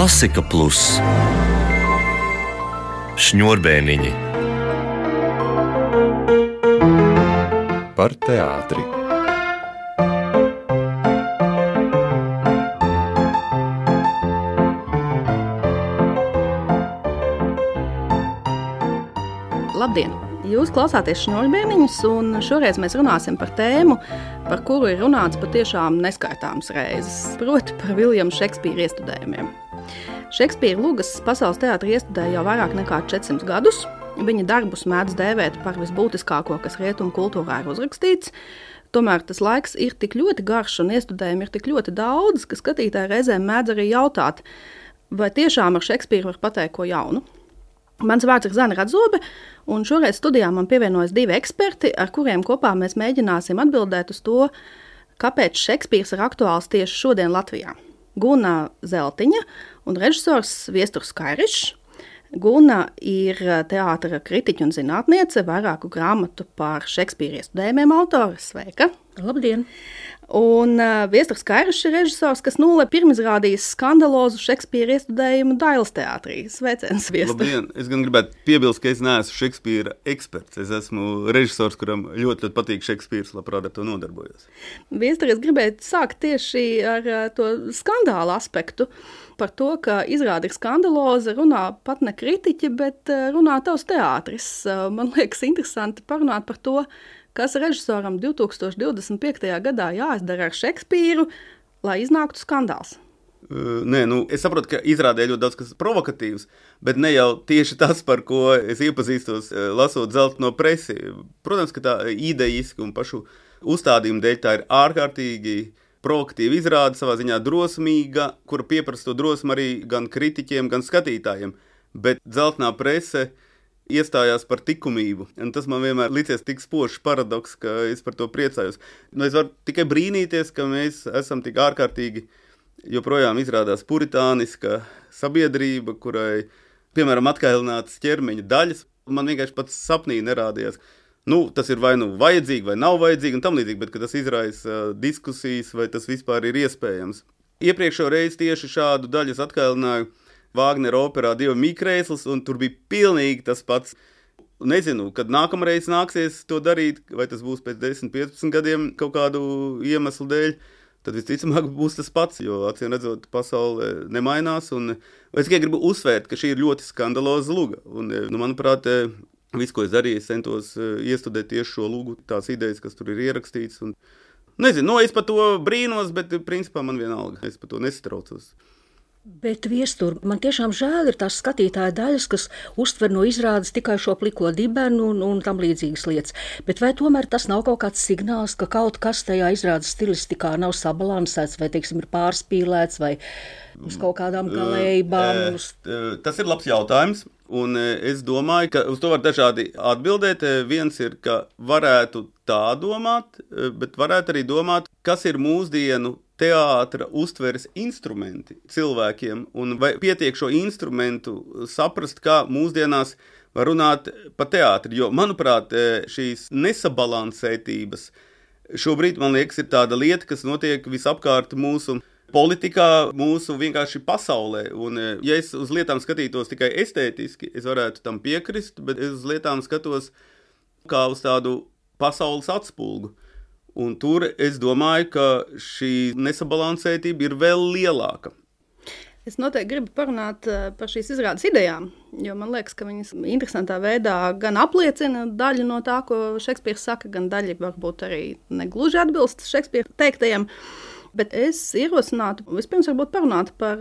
Klasika Plus Šņurbēniņi Par teātri. Labdien! Jūs klausāties Šņurbēniņus, un šoreiz mēs runāsim par tēmu, par kuru ir runāts patiešām neskaitāmas reizes, proti par Viljama Šekspīra iestudējumiem. Šekspīra lugas pasaules teātri iestudēja jau vairāk nekā 400 gadus. Viņa darbus mēdz dēvēt par visbūtiskāko, kas rietumu kultūrā ir uzrakstīts. Tomēr tas laiks ir tik ļoti garš un iestudējumi ir tik ļoti daudz, ka skatītāji reizēm mēdz arī jautāt, vai tiešām ar Šekspīru var pateikt ko jaunu. Mans vārds ir Zana Radzobe, un šoreiz studijā man pievienojas 2 eksperti, ar kuriem kopā mēs mēģināsim atbildēt uz to, kāpēc Šekspīrs ir aktuāls tieši šodien Latvijā. Guna Zeltiņa un režisors Viesturs Kairišs. Guna ir teātra kritiķa un zinātniece, vairāku grāmatu par Šekspīra iestudējumiem autore. Sveika! Labdien! Un Viesturs Kairišs ir režisors, kas nulle pirmizrādījis skandalozu Šekspīra iestudējumu Dailes teātrī. Sveiciens, Viestur! Labdien! Es gan gribētu piebilst, ka es neesmu Šekspīra eksperts. Es esmu režisors, kuram ļoti patīk Šekspīrs, labprāt ar to nodarbojos. Viestur, es gribētu sākt tieši ar to skandālu aspektu. Par to, ka izrāda ir skandaloza, runā pat ne kritiķi, bet runā tavs teātris. Man liekas interesanti parunāt par to, kas režisoram 2025. gadā jāizdara ar Šekspīru, lai iznāktu skandāls. Es saprotu, ka izrādē ļoti daudz kas provokatīvs, bet ne jau tieši tas, par ko es iepazīstos, lasot Zeltno presi. Protams, ka tā idejiski un pašu uzstādījumu dēļ tā ir ārkārtīgi provokatīva izrāde, savā ziņā drosmīga, kura pieprasa to drosmu arī gan kritiķiem, gan skatītājiem. Bet Zeltnā prese iestājās par likumību, un tas man vienmēr licies tik spožs paradoks, ka es par to priecājos. Es varu tikai brīnīties, ka mēs esam tik ārkārtīgi joprojām izrādās puritāniska sabiedrība, kurai, piemēram, atkailinātas ķermeņa daļas. Man vienkārši pats sapnī nerādījās. Tas ir vai vajadzīgi, vai nav vajadzīgi, un tam līdzīgi, bet ka tas izraisa diskusijas, vai tas vispār ir iespējams. Iepriekšējo reizi tieši šādu daļu es atkailināju Vāgnera operā Dieva mīkrēsls, un tur bija pilnīgi tas pats. Nezinu, kad nākamreiz nāksies to darīt, vai tas būs pēc 10-15 gadiem kaut kādu iemeslu dēļ, tad visticamāk būs tas pats, jo acīm redzot pasaule nemainās. Un es tikai gribu uzsvērt, ka šī ir ļoti skandaloza luga. Un, manuprāt, viss, ko es darīju, es centos iestudēt tieši šo lugu, tās idejas, kas tur ir ierakstīts. Un, nezinu, es par to brīnos, bet principā man vienalga, es par to nesatraucos. Bet, Viestur, man tiešām žēl ir tās skatītāja daļas, kas uztver no izrādes tikai šo pliko dibenu un tam līdzīgas lietas. Bet vai tomēr tas nav kaut kāds signāls, ka kaut kas tajā izrādes stilistikā nav sabalansēts, vai, teiksim, ir pārspīlēts, vai uz kaut kādām galējībām? Tas ir labs jautājums, un es domāju, ka uz to var dažādi atbildēt. Viens ir, ka varētu tā domāt, bet varētu arī domāt, kas ir mūsdienu teātra uztveres instrumenti cilvēkiem, un vai pietiek šo instrumentu saprast, kā mūsdienās var runāt par teātri. Jo, manuprāt, šīs nesabalansētības šobrīd, man liekas, ir tāda lieta, kas notiek visapkārt mūsu politikā, mūsu vienkārši pasaulē. Un, ja es uz lietām skatītos tikai estētiski, es varētu tam piekrist, bet es uz lietām skatos kā uz tādu pasaules atspulgu. Un tur es domāju, ka šī nesabalansētība ir vēl lielāka. Es noteikti gribu parunāt par šīs izrādes idejām, jo man liekas, ka viņas interesantā veidā gan apliecina daļu no tā, ko Šekspīrs saka, gan daļa varbūt arī negluži atbilst Šekspīra teiktajiem. Bet es ierosinātu vispirms varbūt parunāt par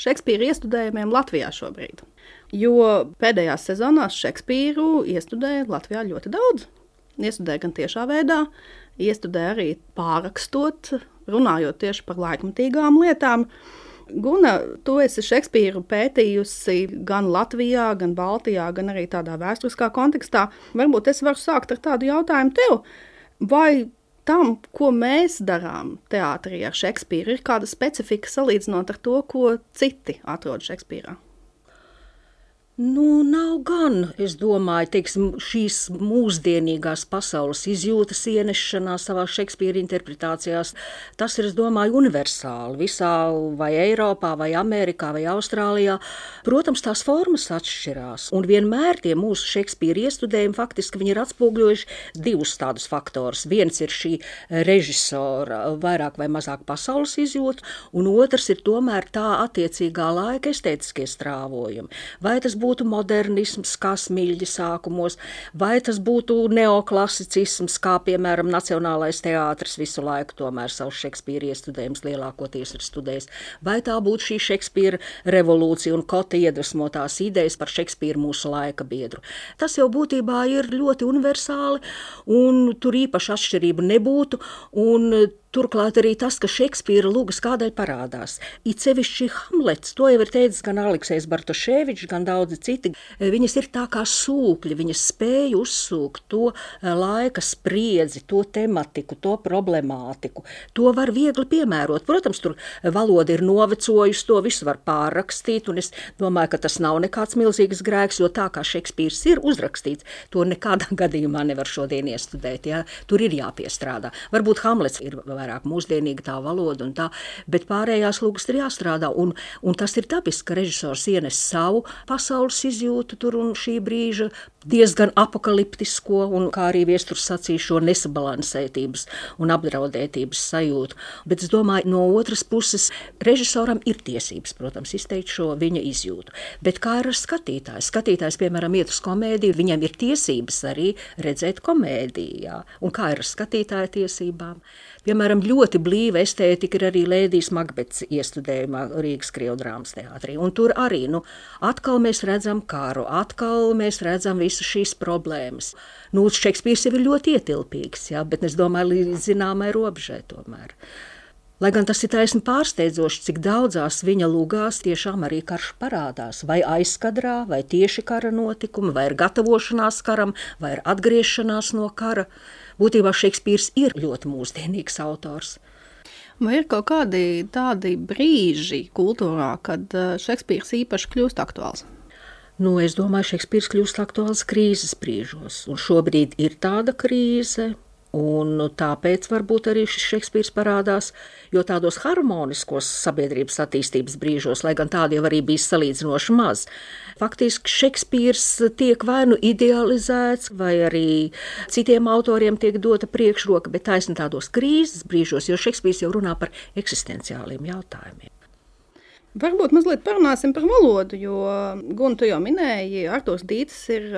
Šekspīra iestudējumiem Latvijā šobrīd. Jo pēdējās sezonās Šekspīru iestudēja Latvijā ļoti daudz. Iestudēja gan tiešā veidā, iestudēja arī pārrakstot, runājot tieši par laikmatīgām lietām. Guna, tu esi Šekspīru pētījusi gan Latvijā, gan Baltijā, gan arī tādā vēsturiskā kontekstā. Varbūt es varu sākt ar tādu jautājumu tev. Vai tam, ko mēs darām teātrī ar Šekspīru, ir kāda specifika salīdzinot ar to, ko citi atrod Šekspīrā? Nav gan, es domāju, teiksim, šīs mūsdienīgās pasaules izjūtas ienešanā savā Šekspīra interpretācijās. Tas ir, es domāju, universāli visā vai Eiropā, vai Amerikā, vai Austrālijā. Protams, tās formas atšķirās. Un vienmēr tie mūsu Šekspīra iestudējumi faktiski viņi ir atspūgļojuši divus tādus faktorus. Viens ir šī režisora vairāk vai mazāk pasaules izjūta, un otrs ir tomēr tā attiecīgā laika estētiskie strāvojumi. Vai tas būtu modernisms, kā Smiļģa sākumos, vai tas būtu neoklasicisms, kā, piemēram, Nacionālais teātris visu laiku tomēr savu Šekspīra iestudējumus lielākoties ir studējis, vai tā būtu šī Šekspīra revolūcija un Kota iedvesmotās idejas par Šekspīru mūsu laika biedru. Tas jau būtībā ir ļoti universāli, un tur īpaši atšķirību nebūtu, un turklāt arī tas, ka Šekspīra lugas kādēļ parādās. It sevišķi Hamlets, to jau ir teicis gan Aleksejs Bartoševičs, gan daudzi citi. Viņas ir tā kā sūkļi, viņas spēja uzsūkt to laika spriedzi, to tematiku, to problemātiku. To var viegli piemērot. Protams, tur valoda ir novecojusi, to visu var pārrakstīt, un es domāju, ka tas nav nekāds milzīgs grēks, jo tā kā Šekspīrs ir uzrakstīts, to nekādā gadījumā nevar šodien iestudēt. Ja? Tur ir jāpiestrādā. Varbūt Hamlets ir vairāk mūsdienīga tā valoda un tā, bet pārējās lūgas ir jāstrādā, un tas ir dabiski, ka režisors ienes savu pasaules izjūtu tur un šī brīža diezgan apokaliptisko, un kā arī Viesturs sacīja šo nesabalansētības un apdraudētības sajūtu. Bet es domāju, no otras puses, režisoram ir tiesības, protams, izteikt šo viņa izjūtu. Bet kā ir ar skatītāju? Skatītājs, piemēram, iet uz komēdiju, viņam ir tiesības arī redzēt komēdiju, jā. Un kā ir ar skatītāja tiesībām? Piemēram, ļoti blīva estētika ir arī Lēdijas Makbetes iestudējumā Rīgas Krievdrāmas teātrī. Un tur arī, atkal mēs redzam karu, atkal mēs redzam visas šīs problēmas. Šekspīrs jau ir ļoti ietilpīgs, jā, bet es domāju, līdz zināmai robežai tomēr. Lai gan tas ir taisni pārsteidzoši, cik daudzās viņa lugās tiešām arī karš parādās, vai aizkadrā, vai tieši kara notikumi, vai ir gatavošanās karam, vai ir atgriešanās no kara. Būtībā Šekspīrs ir ļoti mūsdienīgs autors. Vai ir kaut kādi tādi brīži kultūrā, kad Šekspīrs īpaši kļūst aktuāls? Es domāju, Šekspīrs kļūst aktuāls krīzes brīžos, un šobrīd ir tāda krīze. Un tāpēc varbūt arī šis Šekspīrs parādās, jo tādos harmoniskos sabiedrības attīstības brīžos, lai gan tādi jau arī bija salīdzinoši maz, faktiski Šekspīrs tiek vai idealizēts, vai arī citiem autoriem tiek dota priekšroka, bet taisni tādos krīzes brīžos, jo Šekspīrs jau runā par eksistenciāliem jautājumiem. Varbūt mazliet parunāsim par valodu, jo, Gun, tu jau minēji, Artūrs Dītis ir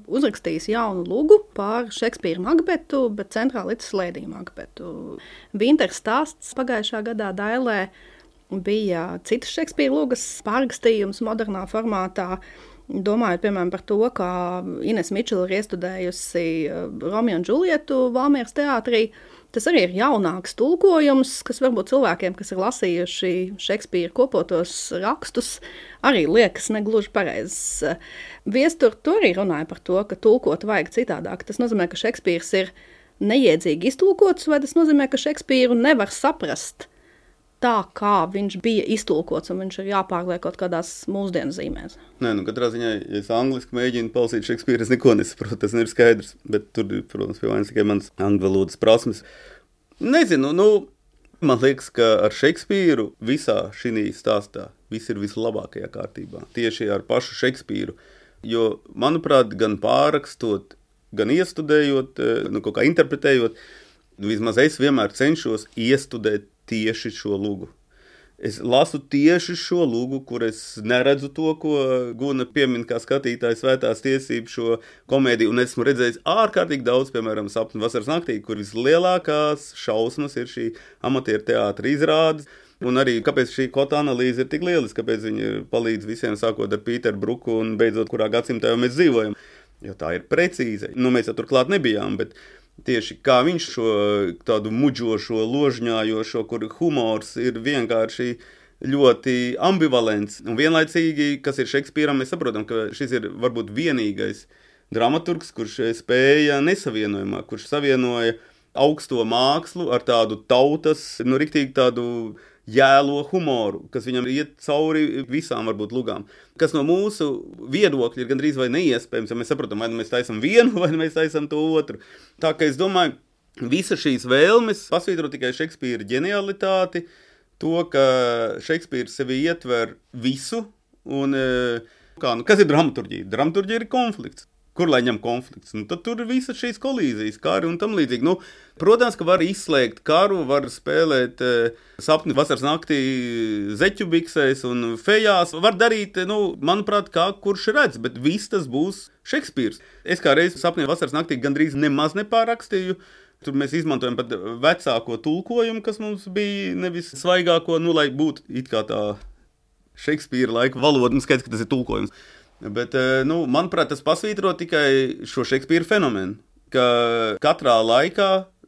uzrakstījis jaunu lugu par Šekspīra Makbetu, bet centrā licis Lēdiju Makbetu. Vinters stāsts pagājušā gadā Dailē bija citas Šekspīra lugas pārrakstījums modernā formātā. Domājot, piemēram, par to, kā Ines Mičela ir iestudējusi Romeo un Džulietu Valmieras teātrī. Tas arī ir jaunāks tulkojums, kas varbūt cilvēkiem, kas ir lasījuši Šekspīra kopotos rakstus, arī liekas negluži pareizs. Viestur to arī runāja par to, ka tulkot vajag citādāk. Tas nozīmē, ka Šekspīrs ir neiedzīgi iztulkots, vai tas nozīmē, ka Šekspīru nevar saprast tā, kā viņš bija iztulkots, un viņš ir jāpārliek kaut kādās mūsdienu zīmēs. Nē, katrā ziņā, ja es angliski mēģinu palasīt Šekspīru, es neko nesaprotu, tas ir skaidrs, bet tur, protams, pie vainas tikai mans angļu valodas prasmes. Nezinu, man liekas, ka ar Šekspīru visā šī stāstā viss ir vislabākajā kārtībā, tieši ar pašu Šekspīru, jo, manuprāt, gan pārrakstot, gan iestudējot, kaut kā interpretējot, vismaz es vienmēr cenšos iestudēt tieši šo lugu. Es lasu tieši šo lugu, kur es neredzu to, ko Guna piemin kā skatītājs Svētās tiesības šo komēdiju, un esmu redzējis ārkārtīgi daudz, piemēram, Sapņu vasaras naktī, kur vislielākās šausmas ir šī amatieru teātra izrādes, un arī kāpēc šī Kota analīze ir tik lieliska, kāpēc viņi palīdz visiem sākot ar Pīteru Bruku un beidzot, kurā gadsimtā jau mēs dzīvojam, jo tā ir precīze. Mēs jau turklāt nebijām, bet tieši kā viņš šo tādu muģošo, ložņājošo, kur humors ir vienkārši ļoti ambivalents. Un vienlaicīgi, kas ir Šekspīram, mēs saprotam, ka šis ir varbūt vienīgais dramaturgs, kurš spēja nesavienojumā, kurš savienoja augsto mākslu ar tādu tautas, riktīgi tādu jēlo humoru, kas viņam iet cauri visām varbūt lugām. Kas no mūsu viedokļa ir gandrīz vai neiespējams, ja mēs saprotam, vai mēs taisam vienu, vai mēs taisam to otru. Tā kā es domāju, visa šīs vēlmes pasvītro tikai Šekspīra ģenialitāti, to, ka Šekspīrs sevi ietver visu, un kas ir dramaturģija? Dramaturģija ir konflikts. Kur lai ņem konflikts? Tad tur ir visas šīs kolīzijas, kari un tam līdzīgi. Protams, ka var izslēgt karu, var spēlēt sapni vasaras naktī zeķu biksēs un fejās. Var darīt, manuprāt, kā kurš redz, bet viss tas būs Šekspīrs. Es kā reiz sapni vasaras naktī gandrīz nemaz nepārakstīju. Tur mēs izmantojam pat vecāko tulkojumu, kas mums bija nevis svaigāko, lai būtu it kā tā Šekspīra laika valoda. Skaidrs, ka tas ir tulkojums. Bet, manuprāt, tas pasvītro tikai šo Šekspīra fenomenu, ka katrā laikā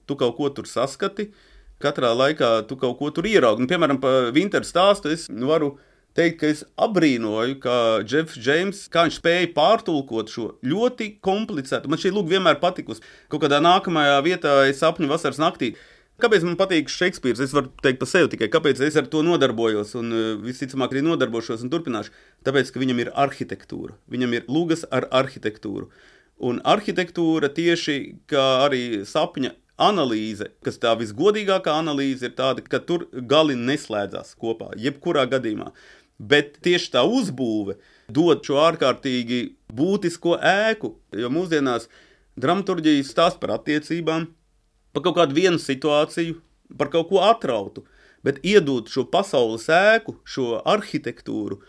tu kaut ko tur saskati, katrā laikā tu kaut ko tur ieraugi. Piemēram, pa Vinteru stāstu es varu teikt, ka es abrīnoju, ka Jeffs Džeims, kā viņš spēja pārtulkot šo ļoti komplicētu. Man šī lūga vienmēr patikusi. Kaut kādā nākamajā vietā es sapņu vasaras naktī. Kāpēc man patīk Šekspīrs? Es varu teikt par sevi tikai, kāpēc es ar to nodarbojos un visticamāk arī nodarbošos un turpināšu. Tāpēc, ka viņam ir arhitektūra. Viņam ir lugas ar arhitektūru. Un arhitektūra tieši kā arī sapņa analīze, kas tā visgodīgākā analīze ir tāda, ka tur gali neslēdzās kopā, jebkurā gadījumā. Bet tieši tā uzbūve dod šo ārkārtīgi būtisko ēku, jo mūsdienās dramaturģija stāsta par attiecībām, par kaut kādu vienu situāciju, par kaut ko atrautu, bet iedot šo pasaules ēku, šo arhitektūru,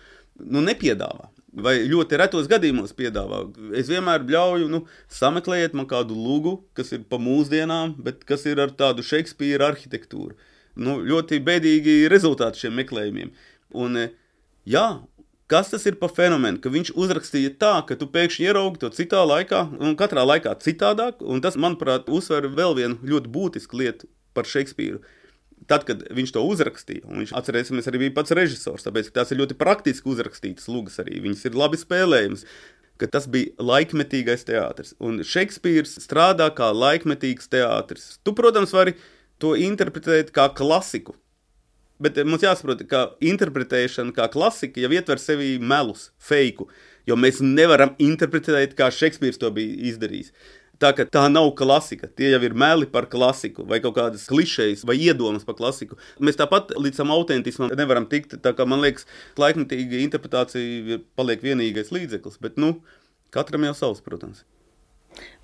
nepiedāvā. Vai ļoti retos gadījumos piedāvā. Es vienmēr bļauju, sameklējiet man kādu lugu, kas ir pa mūsdienām, bet kas ir ar tādu Šekspīra arhitektūru. Ļoti bēdīgi rezultāti šiem meklējumiem. Un jā, kas tas ir pa fenomenu, ka viņš uzrakstīja tā, ka tu pēkšņi ieraugi to citā laikā, un katrā laikā citādāk, un tas, manuprāt, uzsver vēl vienu ļoti būtisku lietu par Šekspīru. Tad, kad viņš to uzrakstīja, un viņš, atcerēsimies, arī bija pats režisors, tāpēc, ka tās ir ļoti praktiski uzrakstītas lugas arī, viņas ir labi spēlējums, ka tas bija laikmetīgais teātris, un Šekspīrs strādā kā laikmetīgs teātris. Tu, protams, vari to interpretēt kā klasiku, bet mums jāsaprot, ka interpretēšana kā klasika jau ietver sevī melus, feiku, jo mēs nevaram interpretēt, kā Šekspīrs to bija izdarījis. Tā ka tā nav klasika, tie jau ir meli par klasiku, vai kaut kādas klišejas, vai iedomas par klasiku. Mēs tāpat līdz tam autentismam nevaram tikt, tā kā man liekas, laikmetīga interpretācija paliek vienīgais līdzeklis, bet katram jau savs, protams.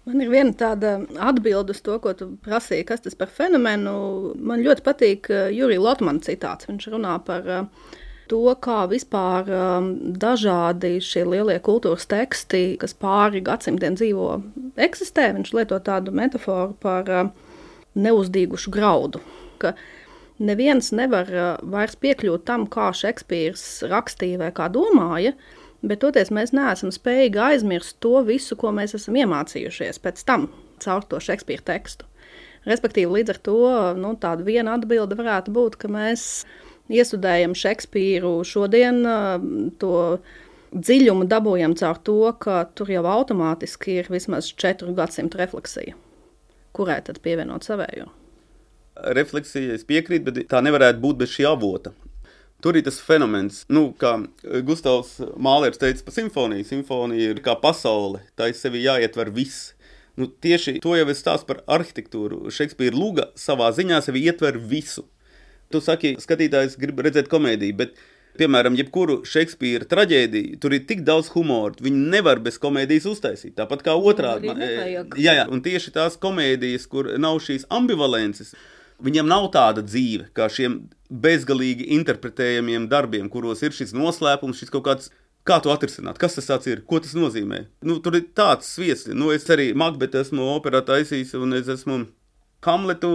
Man ir viena tāda atbilde uz to, ko tu prasīji, kas tas par fenomenu. Man ļoti patīk Jurija Lotmana citāts. Viņš runā par to, kā vispār dažādi šie lielie kultūras teksti, kas pāri gadsimtiem dzīvo, eksistē. Viņš lieto tādu metaforu par neuzdīgušu graudu, ka neviens nevar vairs piekļūt tam, kā Šekspīrs rakstīja vai kā domāja, bet toties mēs neesam spējīgi aizmirst to visu, ko mēs esam iemācījušies pēc tam caur to Šekspīra tekstu. Respektīvi, līdz ar to tāda viena atbilde varētu būt, ka mēs iestudējam Šekspīru šodien, to dziļumu dabūjam caur to, ka tur jau automātiski ir vismaz 4 gadsimtu refleksija. Kurai tad pievienot savējo? Refleksija, es piekrītu, bet tā nevarētu būt bez šī avota. Tur ir tas fenomens, kā Gustavs Mālers teica par simfoniju. Simfonija ir kā pasaule, tā ir sevi jāietver viss. Tieši to jau es stāstu par arhitektūru. Šekspīra luga savā ziņā sevi ietver visu. Tu saki, skatītājs grib redzēt komēdiju, bet, piemēram, jebkuru Šekspīra traģēdiju, tur ir tik daudz humoru, viņi nevar bez komēdijas uztaisīt. Tāpat kā otrādi. Jā, un tieši tās komēdijas, kur nav šīs ambivalences, viņam nav tāda dzīve, kā šiem bezgalīgi interpretējamiem darbiem, kuros ir šis noslēpums, šis kaut kāds, kā to atrisināt, kas tas tāds ir, ko tas nozīmē. Tur ir tāds sviests. Es arī Makbetu esmu operā taisījis, un es esmu Hamletu,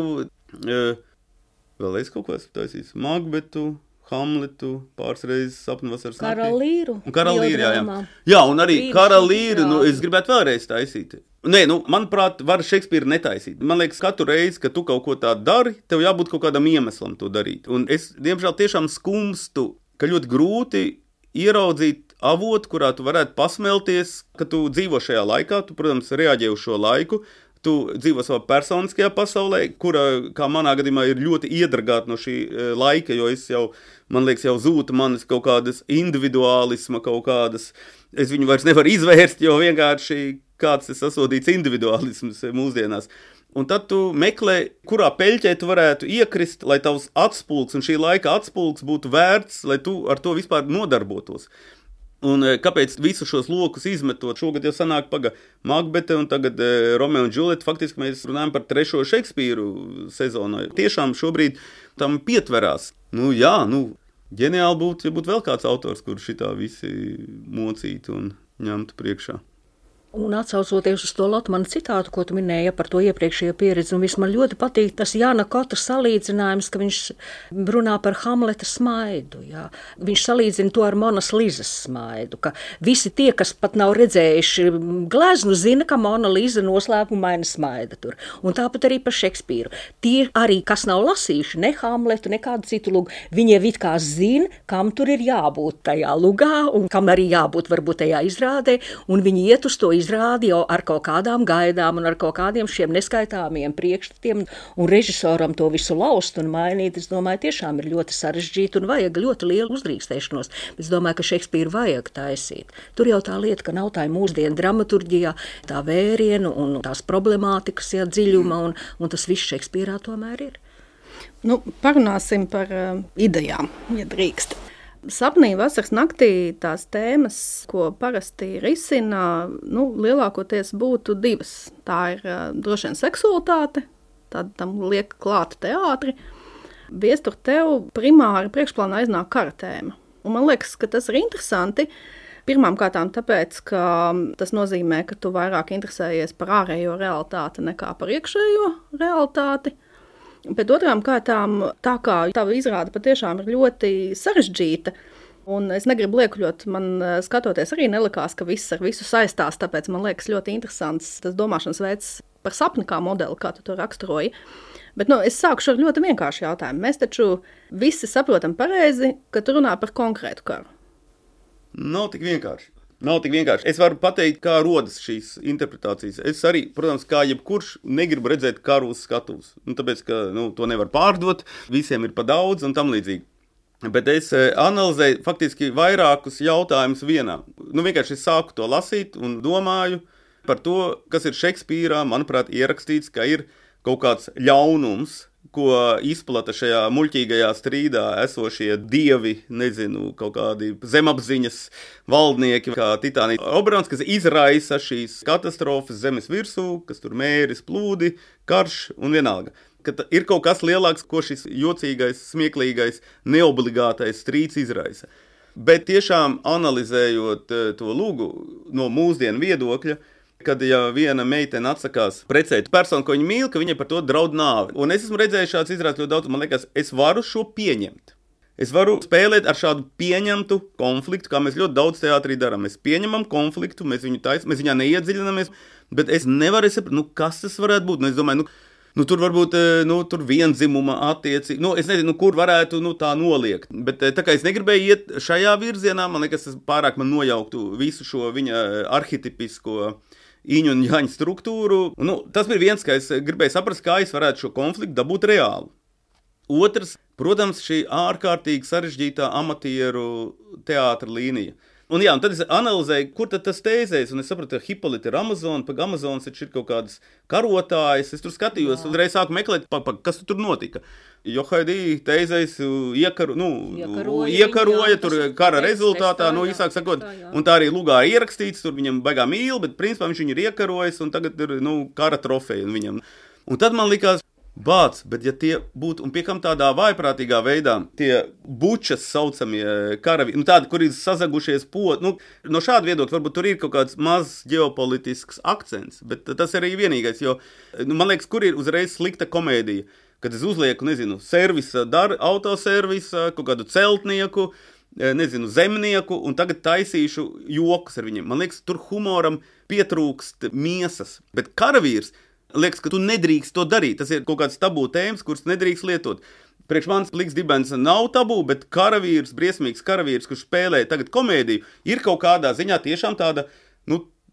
vēl es kaut ko esmu taisījis, Makbetu, Hamletu, pāris reizes sapņu vasaras naktī. Karalīru. Karalīru, jā. Jā, un arī Karalīru, es gribētu vēlreiz taisīt. Nē, manuprāt, var Šekspīru netaisīt. Man liekas, katru reizi, kad tu kaut ko tādu dari, tev jābūt kaut kādam iemeslam to darīt. Un es, diemžēl, tiešām skumstu, ka ļoti grūti ieraudzīt avotu, kurā tu varētu pasmelties, ka tu dzīvo šajā laikā, tu, protams, reaģē uz šo laiku, tu dzīvo savā personiskajā pasaulē, kura, kā manā gadījumā, ir ļoti iedragāta no šī laika, jo es jau, man liekas, jau zūta manis kaut kādas individuālisma, kaut kādas, es viņu vairs nevaru izvērst, jo vienkārši kāds ir sasodīts individuālisms mūsdienās. Un tad tu meklē, kurā peļķē tu varētu iekrist, lai tavs atspulks un šī laika atspulks būtu vērts, lai tu ar to vispār nodarbotos. Un kāpēc visu šos lokus izmetot? Šogad jau sanāk Makbete un tagad Romeo un Džulieta. Faktiski mēs runājam par 3. Šekspīru sezonu. Tiešām šobrīd tam pietverās. Ģeniāli būtu, ja būtu vēl kāds autors, kur šitā visi mocītu un ņemtu priekšā. Un atsaucoties uz to Lotmana citātu, ko tu minēji par to iepriekšējo pieredzi, un man ļoti patīk tas Jāna Kota salīdzinājums, ka viņš runā par Hamleta smaidu. Jā. Viņš salīdzina to ar Monas Lizas smaidu, ka visi tie, kas pat nav redzējuši gleznu, zina, ka Mona Liza noslēpumaina smaida tur. Un tāpat arī par Šekspīru. Tie arī, kas nav lasījuši ne Hamletu, ne kādu citu lugu, viņi it kā zina, kam tur ir jābūt tajā lugā, un kam arī jābūt varbūt tajā izrādē, un viņi iet uz to izrādi jau ar kaut kādām gaidām un ar kaut kādiem šiem neskaitāmiem priekšstatiem, un režisoram to visu laust un mainīt, es domāju, tiešām ir ļoti sarežģīti un vajag ļoti lielu uzdrīkstēšanos. Es domāju, ka Šekspīru vajag taisīt. Tur jau tā lieta, ka nav tā mūsdienu dramaturģijā, tā vērienu un tās problemātikas dziļuma, un tas viss Šekspīrā tomēr ir. Parunāsim par idejām, ja drīkst. Sapnī vasaras naktī tās tēmas, ko parasti risina, lielākoties būtu 2. Tā ir droši vien seksualitāte, tad tam liek klāta teātri. Viestur tev primāri priekšplānā iznāk kara tēma. Un man liekas, ka tas ir interesanti. Pirmām kārtām tāpēc, ka tas nozīmē, ka tu vairāk interesējies par ārējo realitāti nekā par iekšējo realitāti. Bet otrām kārtām, tā kā tava izrāde patiešām ir ļoti sarežģīta, un es negribu liekuļot, man skatoties arī nelikās, ka viss ar visu saistās, tāpēc man liekas ļoti interesants tas domāšanas veids par sapni kā modeli, kā tu to raksturoji. Bet es sākušu ar ļoti vienkāršu jautājumu. Mēs taču visi saprotam pareizi, ka tu runā par konkrētu karu. Nav tik vienkārši. Es varu pateikt, kā rodas šīs interpretācijas. Es arī, protams, kā jebkurš, negribu redzēt karu uz skatuves. Tāpēc, ka to nevar pārdot, visiem ir pa daudz un tam līdzīgi. Bet es analizēju faktiski vairākus jautājumus vienā. Vienkārši es sāku to lasīt un domāju par to, kas ir Šekspīrā, manuprāt, ierakstīts, ka ir kaut kāds ļaunums, ko izplata šajā muļķīgajā strīdā esošie dievi, kaut kādi zemapziņas valdnieki, kā Titānija Oberons, kas izraisa šīs katastrofas zemes virsū, kas tur mēris, plūdi, karš un vienalga. Ka ir kaut kas lielāks, ko šis jocīgais, smieklīgais, neobligātais strīds izraisa. Bet tiešām analizējot to lūgu no mūsdienu viedokļa, kad ja viena meitene atsakās precēt personu, ko viņa mīl, ka viņai par to draud nāve. Un es esmu redzējis šāds izrādes ļoti daudz, man liekas, es varu šo pieņemt. Es varu spēlēt ar šādu pieņemtu konfliktu, kā mēs ļoti daudz teātrī darām. Mēs pieņemam konfliktu, mēs viņā neiedziļinamies, bet es nevaru saprast, kas tas varētu būt. Es domāju, tur varbūt tur viendzimuma attiecība. Es nezinu, kur varētu tā noliegt. Bet tā kā es negribēju iet šajā virzienā, man liekas, tas pārāk man nojauktu visu šo viņa arhetipisko Iņu un Jaņa struktūru. Tas bija viens, ka es gribēju saprast, kā es varētu šo konfliktu dabūt reāli. Otrs, protams, šī ārkārtīgi sarežģītā amatieru teātra līnija. Un tad es analizēju, kur tad tas tēzēs, un es sapratu, ka Hipolita ir Amazona, pag Amazonas ir kaut kādas karotājas. Es tur skatījos, uzreiz sāku meklēt, kas tur notika. Johaidī tēzēs iekaroja tur kara rezultātā, īsāk sakot, un tā arī lugā ir ierakstīts, tur viņam baigā mīl, bet principā viņš viņu ir iekarojis, un tagad ir kara trofeja viņam. Un tad man likās, bet ja tie būtu, un pie kam tādā vājprātīgā veidā, tie bučas saucamie karavi, tādi, kur ir sazagušies no šāda viedokļa, varbūt tur ir kaut kāds mazs ģeopolitisks akcents, bet tas arī vienīgais, jo, man liekas, kur ir uzreiz slikta komēdija, kad es uzlieku, servisa, autoservisa, kaut kādu celtnieku, zemnieku, un tagad taisīšu jokus ar viņiem. Man liekas, tur humoram pietrūkst miesas, bet karavīrs, liekas, ka tu nedrīkst to darīt. Tas ir kaut kāds tabū tēmas, kuras nedrīkst lietot. Priekš manis Pliks dibens nav tabū, bet karavīrs, briesmīgs karavīrs, kurš spēlē tagad komēdiju, ir kaut kādā ziņā tiešām tāda,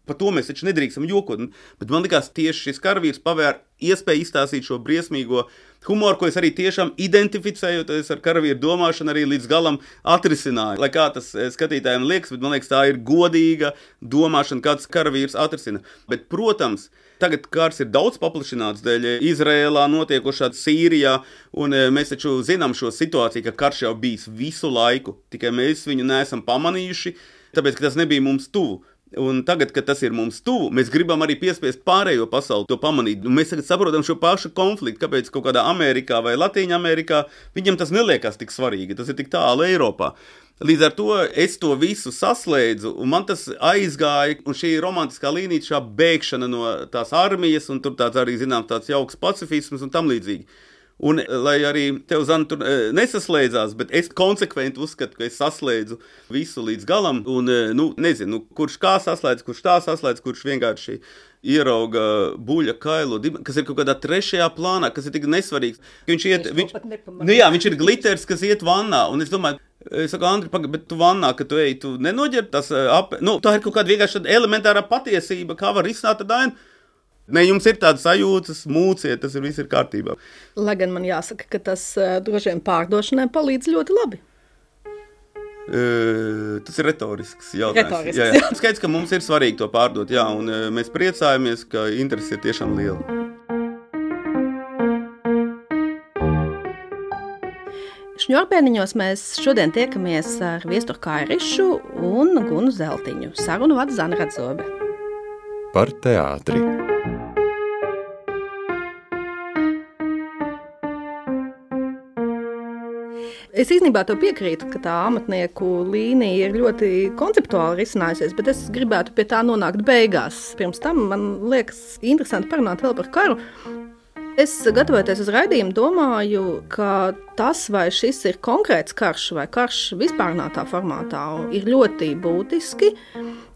Par to mēs taču nedrīkstam jokot. Bet man likās, tieši šis karavīrs pavēr iespēju izstāstīt šo briesmīgo humoru, ko es arī tiešām identificējoties ar karavīru domāšanu arī līdz galam atrisināju. Lai kā tas skatītājiem liekas, bet man liekas, tā ir godīga domāšana, kāds karavīrs atrisina. Bet, protams, tagad kārs ir daudz paplašināts dēļ Izrēlā notiekošā Sīrijā, un mēs taču zinām šo situāciju, ka karš jau bijis visu laiku, tikai mēs viņu neesam pamanījuši, tāpēc, ka tas nebija mums tuvu. Un tagad, kad tas ir mums tuvu, mēs gribam arī piespiest pārējo pasauli to pamanīt. Un mēs tagad saprotam šo pašu konfliktu, kāpēc kaut kādā Amerikā vai Latīņa Amerikā viņam tas neliekas tik svarīgi, tas ir tik tālu Eiropā. Līdz ar to es to visu saslēdzu, un man tas aizgāja, un šī romantiskā līnija, šā bēgšana no tās armijas, un tur tāds arī, zinām, tāds jauks pacifisms un tam līdzīgi. Un, lai arī tev, Zana, tur nesaslēdzās, bet es konsekventi uzskatu, ka es saslēdzu visu līdz galam, un, nezinu, kurš kā saslēdz, kurš tā saslēdz, kurš vienkārši ierauga buļa kailu, kas ir kaut kādā trešajā plānā, kas ir tik nesvarīgs. Viņš ir gliters, kas iet vannā, un es domāju, es saku, Andri, bet tu vannā, kad tu ej, tu nenoģer tas tā ir kaut kāda vienkārši elementārā patiesība, kā var risināt tad ainu. Ne, jums ir tāda sajūtas, mūciet, tas viss ir kārtībā. Lai gan man jāsaka, ka tas droši vien pārdošanai palīdz ļoti labi. Tas ir retorisks jautājums. Jā. Skaidrs, ka mums ir svarīgi to pārdot, jā, un mēs priecājamies, ka interesi ir tiešām liela. Šņurbēniņos mēs šodien tiekamies ar Viesturu Kairišu un Gunu Zeltiņu. Sarunu vada Zana Radzobe. Par teātri. Es īstenībā to piekrītu, ka tā amatnieku līnija ir ļoti konceptuāli risinājusies, bet es gribētu pie tā nonākt beigās. Pirms tam man liekas interesanti parunāt vēl par karu. Es, gatavoties uz raidījumu, domāju, ka tas, vai šis ir konkrēts karš vai karš vispārnātā formātā, ir ļoti būtiski.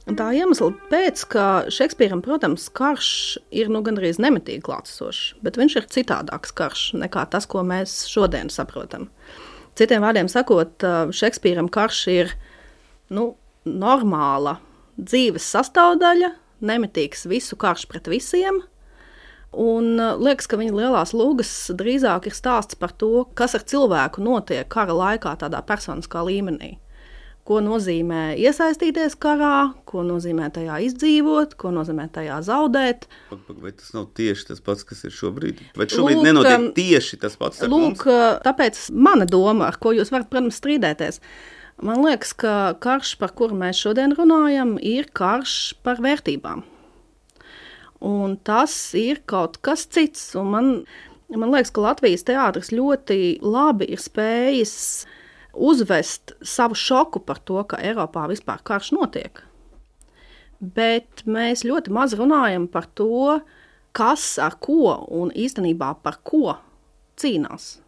Tā iemesla pēc, ka Šekspīram, protams, karš ir gandrīz nemitīgi klātsošs, bet viņš ir citādāks karš nekā tas, ko mēs šodien saprotam. Citiem vārdiem sakot, Šekspīram karš ir normāla dzīves sastāvdaļa, nemitīgs visu karš pret visiem. Un liekas, ka viņa lielās lūgas drīzāk ir stāsts par to, kas ar cilvēku notiek kara laikā tādā personiskā līmenī. Ko nozīmē iesaistīties karā, ko nozīmē tajā izdzīvot, ko nozīmē tajā zaudēt. Vai tas nav tieši tas pats, kas ir šobrīd? Vai šobrīd nenotiek tieši tas pats ar mums? Tāpēc mana doma, ar ko jūs varat, protams, strīdēties, man liekas, ka karš, par kuru mēs šodien runājam, ir karš par vērtībām. Un tas ir kaut kas cits. Un man liekas, ka Latvijas teātris ļoti labi ir spējis uzvest savu šoku par to, ka Eiropā vispār karš notiek. Bet mēs ļoti maz runājam par to, kas ar ko un īstenībā par ko cīnās.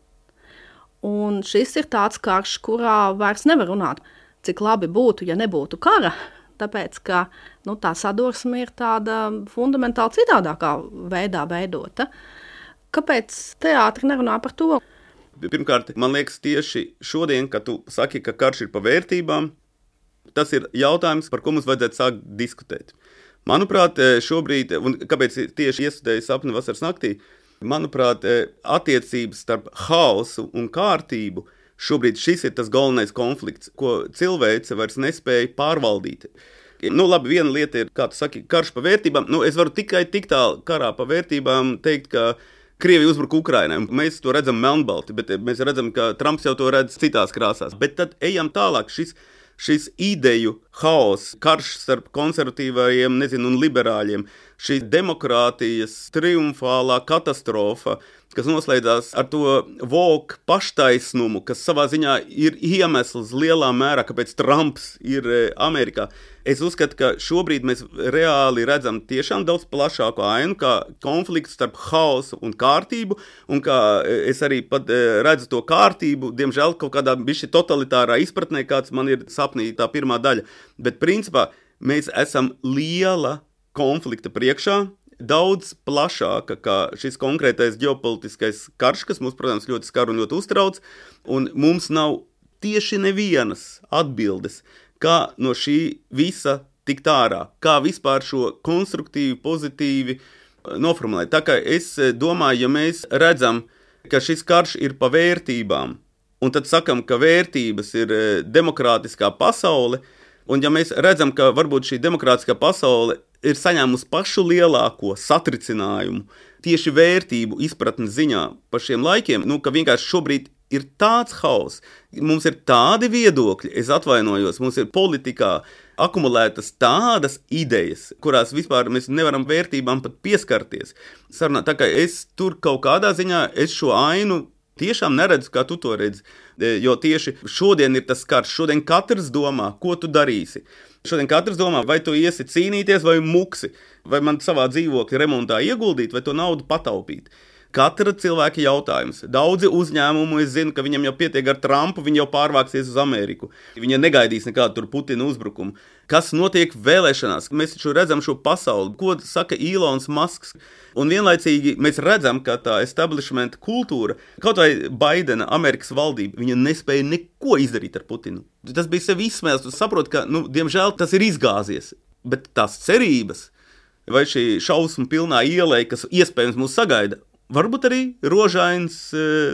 Un šis ir tāds karš, kurā vairs nevar runāt, cik labi būtu, ja nebūtu kara, tāpēc, ka tā sadursme ir tāda fundamentāli citādākā veidā veidota. Kāpēc teātri nerunā par to? Pirmkārt, man liekas tieši šodien, kad tu saki, ka karš ir par vērtībām, tas ir jautājums, par ko mums vajadzētu sākt diskutēt. Manuprāt, šobrīd, un kāpēc tieši iestudēju Sapni vasaras naktī, manuprāt, attiecības starp haosu un kārtību, šobrīd šis ir tas galvenais konflikts, ko cilvēce vairs nespēja pārvaldīt. Labi, viena lieta ir, kā tu saki, karš par vērtībām. Es varu tikai tik tālu karā par vērtībām teikt, ka Krievija uzbruk Ukrainai. Mēs to redzam melnbalti, bet mēs redzam, ka Trumps jau to redz citās krāsās. Bet tad ejam tālāk. Šis ideju haoss, karš starp konservatīvajiem, un liberāļiem, šī demokrātijas triumfālā katastrofa, kas noslēdzās ar to woke paštaisnumu, kas savā ziņā ir iemesls lielā mērā, kāpēc Trumps ir Amerikā. Es uzskatu, ka šobrīd mēs reāli redzam tiešām daudz plašāku ainu, kā konflikts starp haosu un kārtību, un kā es arī pat redzu to kārtību, diemžēl kaut kādā bišķi totalitārā izpratnē, kāds man ir sapnī tā pirmā daļa. Bet principā mēs esam liela konflikta priekšā, daudz plašāka kā šis konkrētais ģeopolitiskais karš, kas mums, protams, ļoti skar un ļoti uztrauc, un mums nav tieši nevienas atbildes, kā no šī visa tikt ārā, kā vispār šo konstruktīvi, pozitīvi noformulēt. Tā kā es domāju, ja mēs redzam, ka šis karš ir pa vērtībām, un tad sakam, ka vērtības ir demokrātiskā pasaule, un ja mēs redzam, ka varbūt šī demokrātiskā pasaule ir saņēmusi pašu lielāko satricinājumu tieši vērtību izpratnes ziņā par šiem laikiem, ka vienkārši šobrīd ir tāds hauss, mums ir tādi viedokļi, es atvainojos, mums ir politikā akumulētas tādas idejas, kurās vispār mēs nevaram vērtībām pat pieskarties. Sarunā, tā kā es tur kaut kādā ziņā, es šo ainu tiešām neredzu, kā tu to redzi, jo tieši šodien ir tas karš, šodien katrs domā, ko tu darīsi. Šodien katrs domā, vai tu iesi cīnīties vai muksi, vai man savā dzīvokļa remontā ieguldīt, vai to naudu pataupīt. Katra cilvēka jautājums. Daudzi uzņēmumi, es zinu, ka viņam jau pietiek ar Trumpu, viņi jau pārvāksies uz Ameriku. Viņi negaidīs nekādu tur Putina uzbrukumu. Kas notiek vēlēšanās? Mēs taču redzam šo pasauli, ko saka Ilons Masks. Un vienlaicīgi mēs redzam, ka tā establishment kultūra, kaut vai Baidena, Amerikas valdība, viņa nespēja neko izdarīt ar Putinu. Tas bija sevi izsmēls, tu saproti, ka, diemžēl tas ir izgāzies. Bet tās cerības, vai šī šausmu pilnā ielē, kas iespējams mūs sagaida, varbūt arī rožains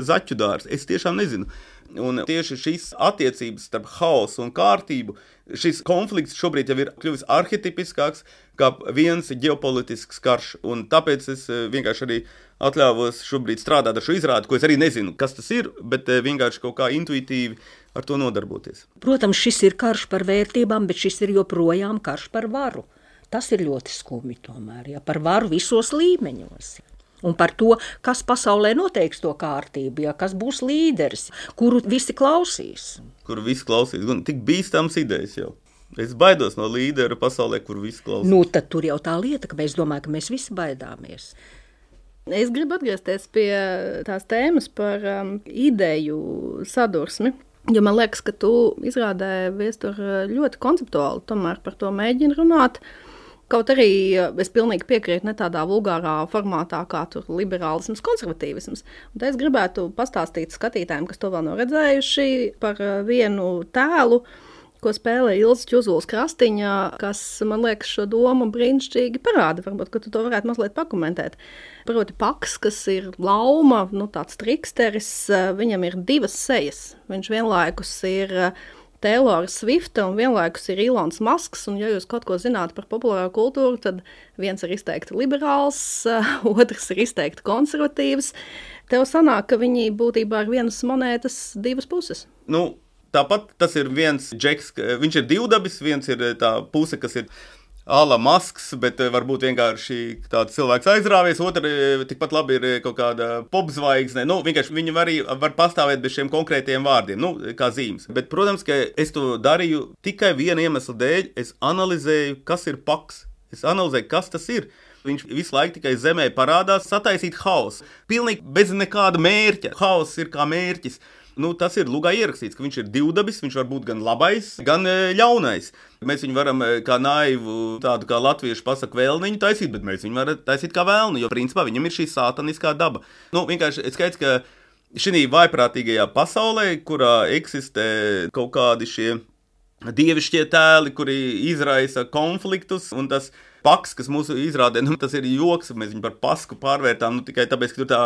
zaķu dārs, es tiešām nezinu. Un tieši šīs attiecības starp haosu un kārtību, šis konflikts šobrīd jau ir kļuvis arhetipiskāks kā viens ģeopolitisks karš. Un tāpēc es vienkārši arī atļāvos šobrīd strādāt ar šo izrādi, ko es arī nezinu, kas tas ir, bet vienkārši kaut kā intuitīvi ar to nodarboties. Protams, šis ir karš par vērtībām, bet šis ir joprojām karš par varu. Tas ir ļoti skumji tomēr, par varu visos līmeņos. Un par to, kas pasaulē noteiks to kārtību, kas būs līderis, kuru visi klausīs. Kuru visi klausīs, un tik bīstams idejas jau. Es baidos no līdera pasaulē, kur visi klausīs. Tad tur jau tā lieta, ka mēs domājam, ka mēs visi baidāmies. Es gribu atgriezties pie tās tēmas par ideju sadursmi, jo man liekas, ka tu izrādē Viestur ļoti konceptuāli tomēr par to mēģini runāt. Kaut arī es pilnīgi piekrītu ne tādā vulgārā formātā, kā tur liberālisms, konservatīvisms. Un te es gribētu pastāstīt skatītājiem, kas to vēl nav redzējuši, par vienu tēlu, ko spēlē Ilze Čuzuls Krastiņa, kas, man liekas, šo domu brīnišķīgi parāda. Varbūt, ka tu to varētu mazliet pakomentēt. Proti Paks, kas ir lauma, tāds triksteris, viņam ir divas sejas. Viņš vienlaikus ir Taylora Swifta un vienlaikus ir Ilons Masks, un ja jūs kaut ko zināt par populāro kultūru, tad viens ir izteikti liberāls, otrs ir izteikti konservatīvs. Tev sanāk, ka viņi būtībā ir vienas monētas divas puses. Tāpat tas ir viens džeks, viņš ir divdabis, viens ir tā puse, kas ir Ala Masks, bet varbūt vienkārši tāds cilvēks aizrāvies, otra tikpat labi ir kaut kāda popzvaigzne. Vienkārši viņi arī var pastāvēt bez šiem konkrētiem vārdiem, kā zīmes. Bet, protams, ka es to darīju tikai viena iemesla dēļ. Es analizēju, kas ir Paks. Es analizēju, kas tas ir. Viņš visu laiku tikai zemē parādās sataisīt haosu. Pilnīgi bez nekāda mērķa. Haoss ir kā mērķis. Tas ir lugā ierakstīts, ka viņš ir divdabis, viņš var būt gan labais, gan ļaunais. Mēs viņu varam kā naivu, tādu kā latviešu pasaka vēlniņu taisīt, bet mēs viņu varam taisīt kā vēlnu, jo principā viņam ir šī sātaniskā daba. Vienkārši skaidrs, ka šī vaiprātīgajā pasaulē, kurā eksistē kaut kādi šie dievišķie tēli, kuri izraisa konfliktus, un tas Paks, kas mūsu izrādē, tas ir joks, mēs viņu par pasku pārvērtām, tikai tāpēc, ka tur tā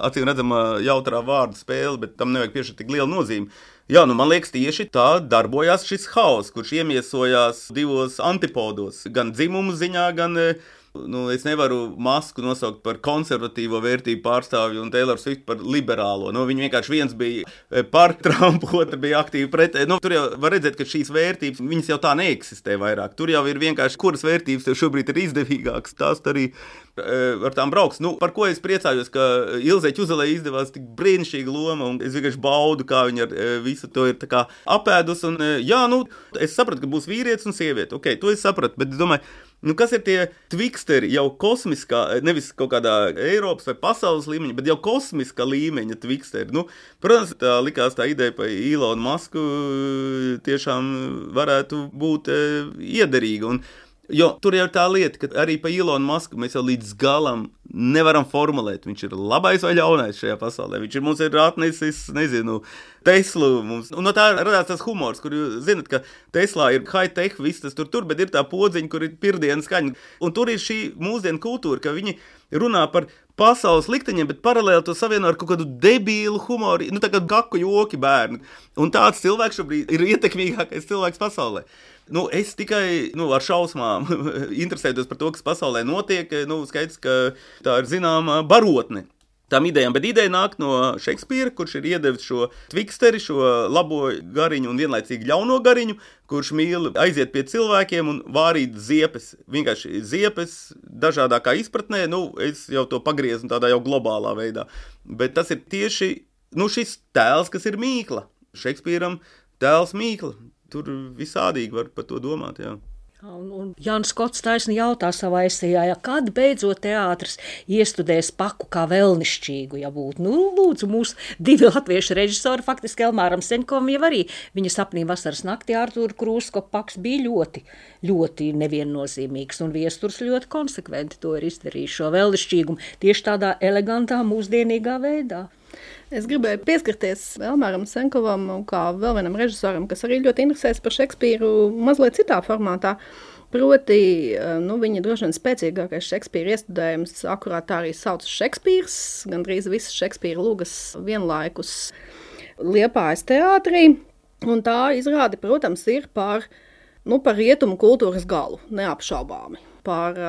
acīm redzama jautrā vārdu spēle, bet tam nevajag piešķirt tik lielu nozīmi. Jā, man liekas, tieši tā darbojās šis haoss, kurš iemiesojās divos antipodos, gan dzimumu ziņā, gan es nevaru Masku nosaukt par konservatīvo vērtību pārstāvju un Taylor Swift par liberālo. Viņi vienkārši viens bija par Trumpu, otrs bija aktīvi pret. Tur jau var redzēt, ka šīs vērtības, viņas jau tā neeksistē vairāk. Tur jau ir vienkārši, kuras vērtības tev šobrīd ir izdevīgākas, tās arī ar tām brauks. Par ko es priecājos, ka Ilzei Čuzelei izdevās tik brīnišķīga loma, un es vienkārši baudu, kā viņa ar visu to ir tā kā apēdus. Un, es sapratu, ka būs vīrietis un sieviete. Ok, to es sapratu, bet es domāju, kas ir tie tviksteri jau kosmiskā, nevis kaut kādā Eiropas vai pasaules līmeņa, bet jau kosmiskā līmeņa tviksteri. Protams, tā likās tā ideja par Ilonu Masku tiešām varētu būt iederīga. Jo tur jau ir tā lieta, ka arī pa Ilonu Masku mēs jau līdz galam nevaram formulēt. Viņš ir labais vai ļaunais šajā pasaulē. Viņš mums ir atnesis, nezinu, Teslu. Mums. Un no tā radās tas humors, kur jūs zinat, ka Teslā ir high-tech, viss tas tur, bet ir tā podziņa, kur ir pirdienas skaņa. Un tur ir šī mūsdienu kultūra, ka viņi runā par pasaules likteņiem, bet paralēli to savieno ar kaut kādu debīlu humoru, tā kā gaku joki bērni. Un tāds cilvēks šobrīd ir ietekmīgākais cilvēks pasaulē. Es tikai ar šausmām interesējos par to, kas pasaulē notiek. Skaidrs, ka tā ir zināma barotne tām idejām, bet ideja nāk no Šekspīra, kurš ir iedevis šo tviksteri, šo labo gariņu un vienlaicīgi ļauno gariņu, kurš mīl aiziet pie cilvēkiem un vārīt ziepes. Vienkārši ziepes dažādākā izpratnē, es jau to pagriezu tādā jau globālā veidā. Bet tas ir tieši šis tēls, kas ir mīkla. Šekspīram tēls mīkla. Tur visādīgi var par to domāt, jā. Un Jānis Skots taisni jautā savā esejā, kad beidzot teātris iestudēs Paku kā vēlnišķīgu, ja būtu. Lūdzu, mūsu 2 latviešu režisori, faktiski Elmāram Seņkovam jau arī viņa sapnī vasaras naktī Artūra Krūzko Paks bija ļoti, ļoti neviennozīmīgs, un Viesturs ļoti konsekventi to ir izdarījis, šo vēlnišķīgumu, tieši tādā elegantā, mūsdienīgā veidā. Es gribēju pieskarties Elmāram Seņkovam kā vēl vienam režisoram, kas arī ļoti interesēs par Šekspīru mazliet citā formātā. Proti, viņa droši vien spēcīgākais Šekspīra iestudējums, akurāt tā arī saucas Šekspīrs, gandrīz visas Šekspīra lugas vienlaikus Liepājas teātrī. Un tā izrāde, protams, ir par rietumu kultūras galu, neapšaubāmi. Par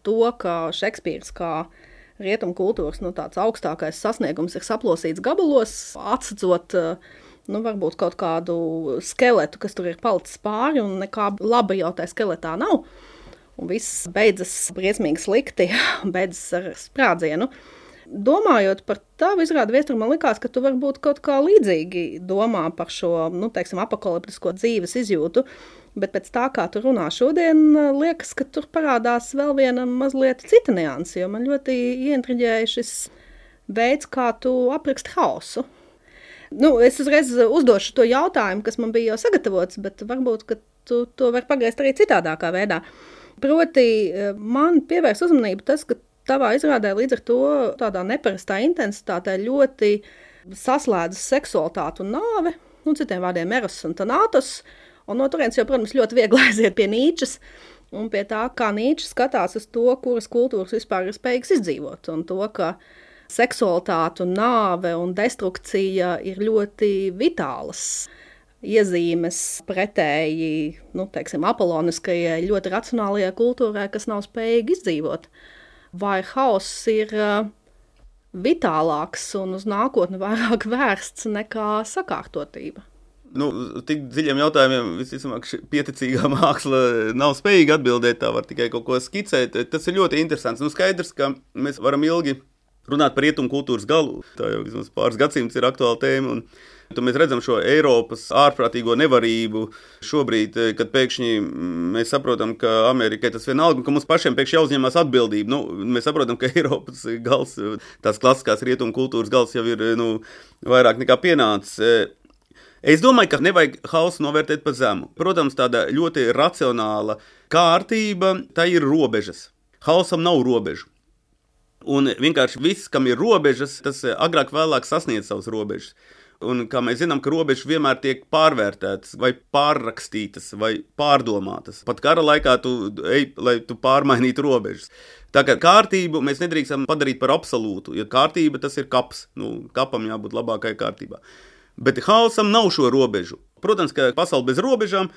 to, ka Šekspīrs kā rietumu kultūras tāds augstākais sasniegums ir saplosīts gabalos, atsacot varbūt kaut kādu skeletu, kas tur ir palicis pāri, un nekā laba jau tā skeletā nav. Un viss beidzas briesmīgi slikti, beidzas ar sprādzienu. Domājot par tavu izrādi, Viestur, man likās, ka tu varbūt kaut kā līdzīgi domā par šo, apokaliptisko dzīves izjūtu, bet pēc tā, kā tu runā šodien, liekas, ka tur parādās vēl viena mazliet cita nianse, jo man ļoti ieintriģēja šis veids, kā tu apraksti hausu. Es uzreiz uzdošu to jautājumu, kas man bija jau sagatavots, bet varbūt, ka tu to vari pagriezt arī citādākā veidā. Proti, man pievērs uzmanību tas, ka tavā izrādē līdz ar to tādā neparastā intensitātē ļoti saslēdzas seksualitāte un nāve, citiem vārdiem eros un tanātos, un no turienes jau, protams, ļoti viegli aiziet pie Nīčes un pie tā, kā Nīčes skatās uz to, kuras kultūras vispār ir spējīgas izdzīvot, un to, ka seksualitāte un nāve un destrukcija ir ļoti vitālas iezīmes pretēji, apoloniskajai, ļoti racionālajai kultūrai, kas nav spējīgi izdzīvot. Vai hauss ir vitālāks un uz nākotni vairāk vērsts nekā sakārtotība? Tik dziļiem jautājumiem visticamāk pieticīgā māksla nav spējīga atbildēt, tā var tikai kaut ko skicēt. Tas ir ļoti interesants. Skaidrs, ka mēs varam ilgi runāt par rietumu kultūras galu. Tā jau vismaz pāris gadsimts ir aktuāla tēma, un tad mēs redzam šo Eiropas ārprātīgo nevarību šobrīd, kad pēkšņi mēs saprotam, ka Amerikai tas vienalga, un ka mums pašiem pēkšņi jāuzņemās atbildība. Mēs saprotam, ka Eiropas gals, tās klasiskās rietumu kultūras gals jau ir vairāk nekā pienācis. Es domāju, ka nevajag hausu novērtēt pa zemu. Protams, tāda ļoti racionāla kārtība, tā ir robežas. Hausam nav robežu. Un vienkārši viss, kam ir robežas, tas agrāk vēlāk sasniedz savas robežas. Un kā mēs zinām, ka robežas vienmēr tiek pārvērtētas vai pārrakstītas vai pārdomātas. Pat kara laikā tu ej, lai tu pārmainītu robežas. Tā kā kārtību mēs nedrīkstam padarīt par absolūtu, jo kārtība tas ir kaps. Kapam jābūt labākai kārtībā. Bet hausam nav šo robežu. Protams, ka pasaule bez robežām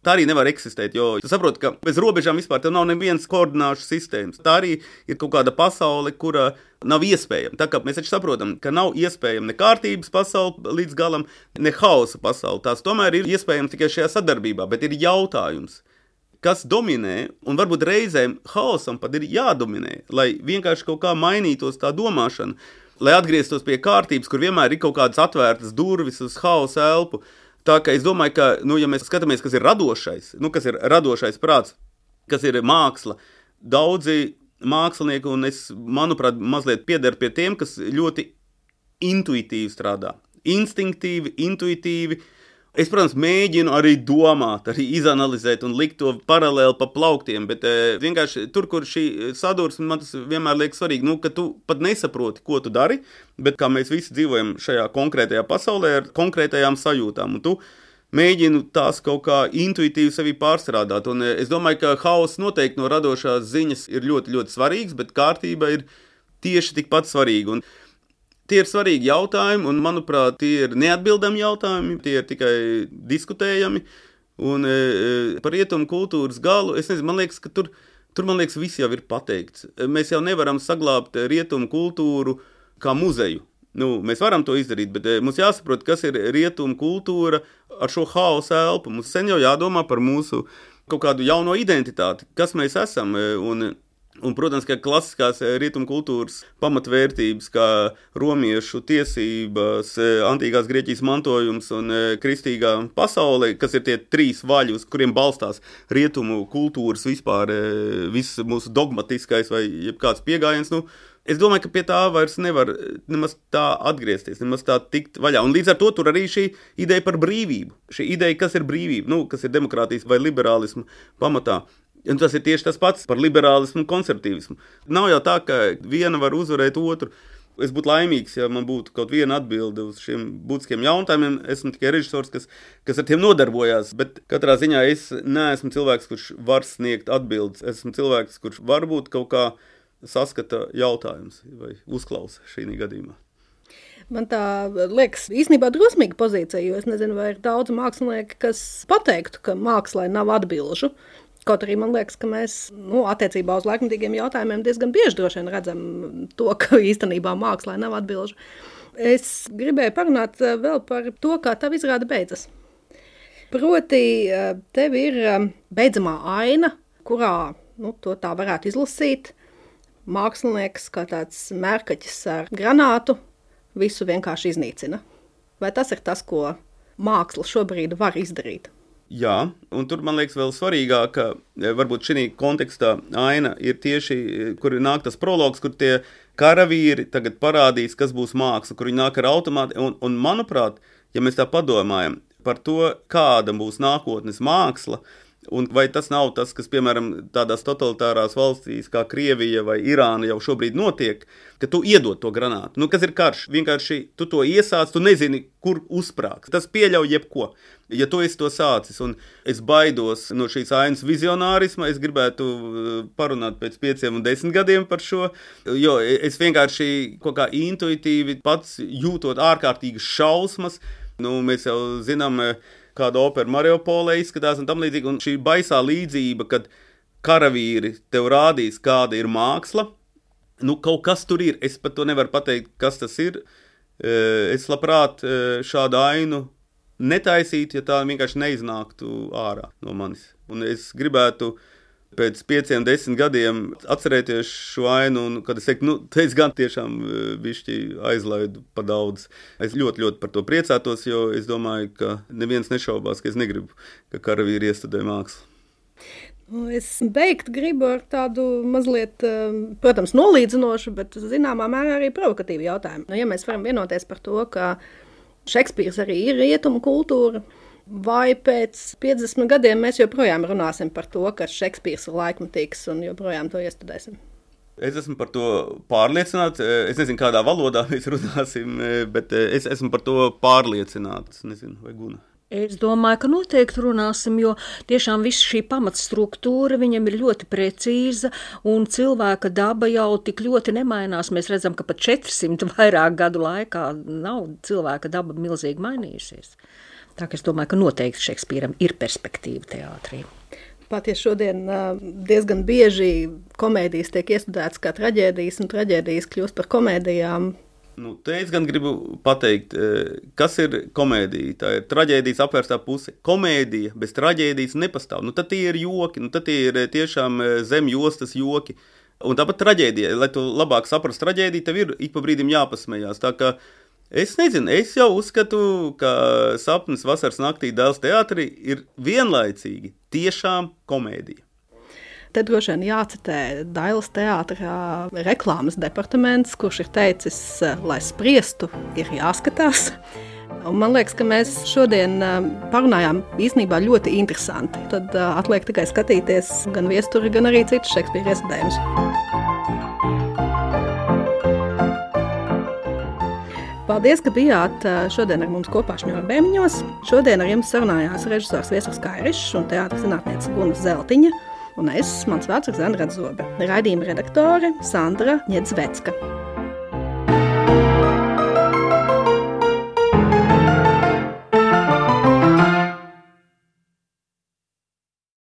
tā arī nevar eksistēt, jo tu saproti, ka bez robežām vispār tev nav nevienas koordināšu sistēmas. Tā arī ir kaut kāda pasaule, kura nav iespējama. Tā kā mēs taču saprotam, ka nav iespējama ne kārtības pasaule līdz galam, ne hausa pasaule. Tās tomēr ir iespējama tikai šajā sadarbībā, bet ir jautājums, kas dominē, un varbūt reizēm hausam pat ir jādominē, lai vienkārši kaut kā mainītos tā domāšana, lai atgrieztos pie kārtības, kur vienmēr ir kaut kādas atvērtas durvis uz hausa elpu. Tā kā es domāju, ka, ja mēs skatāmies, kas ir radošais prāts, kas ir māksla, daudzi mākslinieki, un es, manuprāt, mazliet piederu pie tiem, kas ļoti intuitīvi strādā. Instinktīvi, intuitīvi, Es, protams, mēģinu arī domāt, arī izanalizēt un likt to paralēli pa plauktiem, bet vienkārši tur, kur šī sadursme, man tas vienmēr liekas svarīgi, ka tu pat nesaproti, ko tu dari, bet kā mēs visi dzīvojam šajā konkrētajā pasaulē ar konkrētajām sajūtām, un tu mēģinu tās kaut kā intuitīvi sevi pārstrādāt, un es domāju, ka hauss noteikti no radošās ziņas ir ļoti, ļoti svarīgs, bet kārtība ir tieši tikpat svarīga, un tie ir svarīgi jautājumi, un, manuprāt, tie ir neatbildami jautājumi, tie ir tikai diskutējami, un par rietumu kultūras galu, es nezinu, man liekas, ka tur man liekas, viss jau ir pateikts. Mēs jau nevaram saglābt rietumu kultūru kā muzeju. Mēs varam to izdarīt, bet mums jāsaprot, kas ir rietumu kultūra ar šo hausa elpu. Mums sen jau jādomā par mūsu kaut kādu jauno identitāti, kas mēs esam, un, protams, ka klasiskās rietumu kultūras pamatvērtības, kā romiešu tiesības, antīkās Grieķijas mantojums un kristīgā pasaule, kas ir tie 3 vaļi, uz kuriem balstās rietumu kultūras vispār, viss mūsu dogmatiskais vai jebkāds piegājiens, es domāju, ka pie tā vairs nevar nemaz tā atgriezties, nemaz tā tikt vaļā. Un līdz ar to tur arī šī ideja par brīvību, šī ideja, kas ir brīvība, kas ir demokrātijas vai liberālismu pamatā. Un tas ir tieši tas pats par liberālismu un konservatīvismu. Nav jau tā, ka viena var uzvarēt otru. Es būtu laimīgs, ja man būtu kaut viena atbilde uz šiem būtiskiem jautājumiem. Esmu tikai režisors, kas ar tiem nodarbojās, bet katrā ziņā es neesmu cilvēks, kurš var sniegt atbildes. Esmu cilvēks, kurš varbūt kaut kā saskata jautājumus vai uzklausa šī gadījumā. Man tā liekas īstenībā drosmīga pozīcija, jo es nezinu, vai ir daudz mākslinieki, kas pateiktu, ka mākslai nav atbilžu. Kaut arī man liekas, ka mēs attiecībā uz laikmatīgiem jautājumiem diezgan bieži droši vien redzam to, ka īstenībā mākslā nav atbilžu. Es gribēju parunāt vēl par to, kā tavu izrāde beidzas. Proti, tev ir beidzamā aina, kurā to tā varētu izlasīt. Mākslinieks kā tāds mērkaķis ar granātu visu vienkārši iznīcina. Vai tas ir tas, ko māksla šobrīd var izdarīt? Jā, un tur man liekas vēl svarīgāk, ka varbūt šī kontekstā aina ir tieši, kur nāk tas prologs, kur tie karavīri tagad parādīs, kas būs māksla, kur viņi nāk ar automāti, un manuprāt, ja mēs tā padomājam par to, kāda būs nākotnes māksla, un vai tas nav tas, kas, piemēram, tādās totalitārās valstīs kā Krievija vai Irāna jau šobrīd notiek, ka tu iedod to granātu. Kas ir karš? Vienkārši tu to iesāc, tu nezini, kur uzsprāgs. Tas pieļauj jebko. Ja tu esi to sācis, un es baidos no šīs ainas vizionārisma, es gribētu parunāt pēc 5 un 10 gadiem par šo, jo es vienkārši kaut kā intuitīvi pats jūtot ārkārtīgas šausmas. Mēs jau zinām, kāda opera Mariupolē izskatās un tam līdzīgi, un šī baisā līdzība, kad karavīri tev rādīs, kāda ir māksla, kaut kas tur ir, es pat to nevaru pateikt, kas tas ir. Es labprāt šādu ainu netaisītu, ja tā vienkārši neiznāktu ārā no manis. Un es gribētu pēc 5 un 10 gadiem atcerēties šo ainu, un kad es teiktu, es gan tiešām bišķi aizlaidu pa daudz. Es ļoti, ļoti par to priecātos, jo es domāju, ka neviens nešaubās, ka es negribu, ka karavīri iestudē mākslu. Es beigt gribu ar tādu mazliet, protams, nolīdzinošu, bet zināmā mērā arī provokatīvu jautājumu. Ja mēs varam vienoties par to, ka Šekspīrs arī ir rietumu kultūra, vai pēc 50 gadiem mēs joprojām runāsim par to, ka Šekspīrs ir laikmatīgs un joprojām to iestudēsim? Es esmu par to pārliecināts. Es nezinu, kādā valodā mēs runāsim, bet es esmu par to pārliecināts. Nezinu, vai Guna? Es domāju, ka noteikti runāsim, jo tiešām viss šī pamatstruktūra viņam ir ļoti precīza, un cilvēka daba jau tik ļoti nemainās. Mēs redzam, ka pat 400 vairāk gadu laikā nav cilvēka daba milzīgi mainījusies. Tā ka es domāju, ka noteikti Šekspīram ir perspektīva teātrī. Pat ja šodien diezgan bieži komēdijas tiek iestudētas kā traģēdijas, un traģēdijas kļūst par komēdijām. Te es gan gribu pateikt, kas ir komēdija. Tā ir traģēdijas apvērstā puse. Komēdija bez traģēdijas nepastāv. Tad tie ir joki, tad tie ir tiešām zem jostas joki. Un tāpat traģēdija, lai tu labāk saprast traģēdiju, tev ir ik pa brīdim jāpasmējās. Tā kā es nezinu, es jau uzskatu, ka Sapnis vasaras naktī Dēls teātrī ir vienlaicīgi tiešām komēdija. Te droši vien jācitē Dailes teātrā reklāmas departaments, kurš ir teicis, lai spriestu, ir jāskatās. Un man liekas, ka mēs šodien parunājām īstenībā ļoti interesanti. Tad atliek tikai skatīties gan viesturi, gan arī citus Šekspīra iestudējumus. Paldies, ka bijāt šodien ar mums kopā Šņurbēniņos. Šodien ar jums sarunājās režisors Viesturs Kairišs un teātris zinātniece Guna Zeltiņa. Un mans vārds ir Zana Radzobe. Raidījuma redaktore Sandra Ņedzvecka.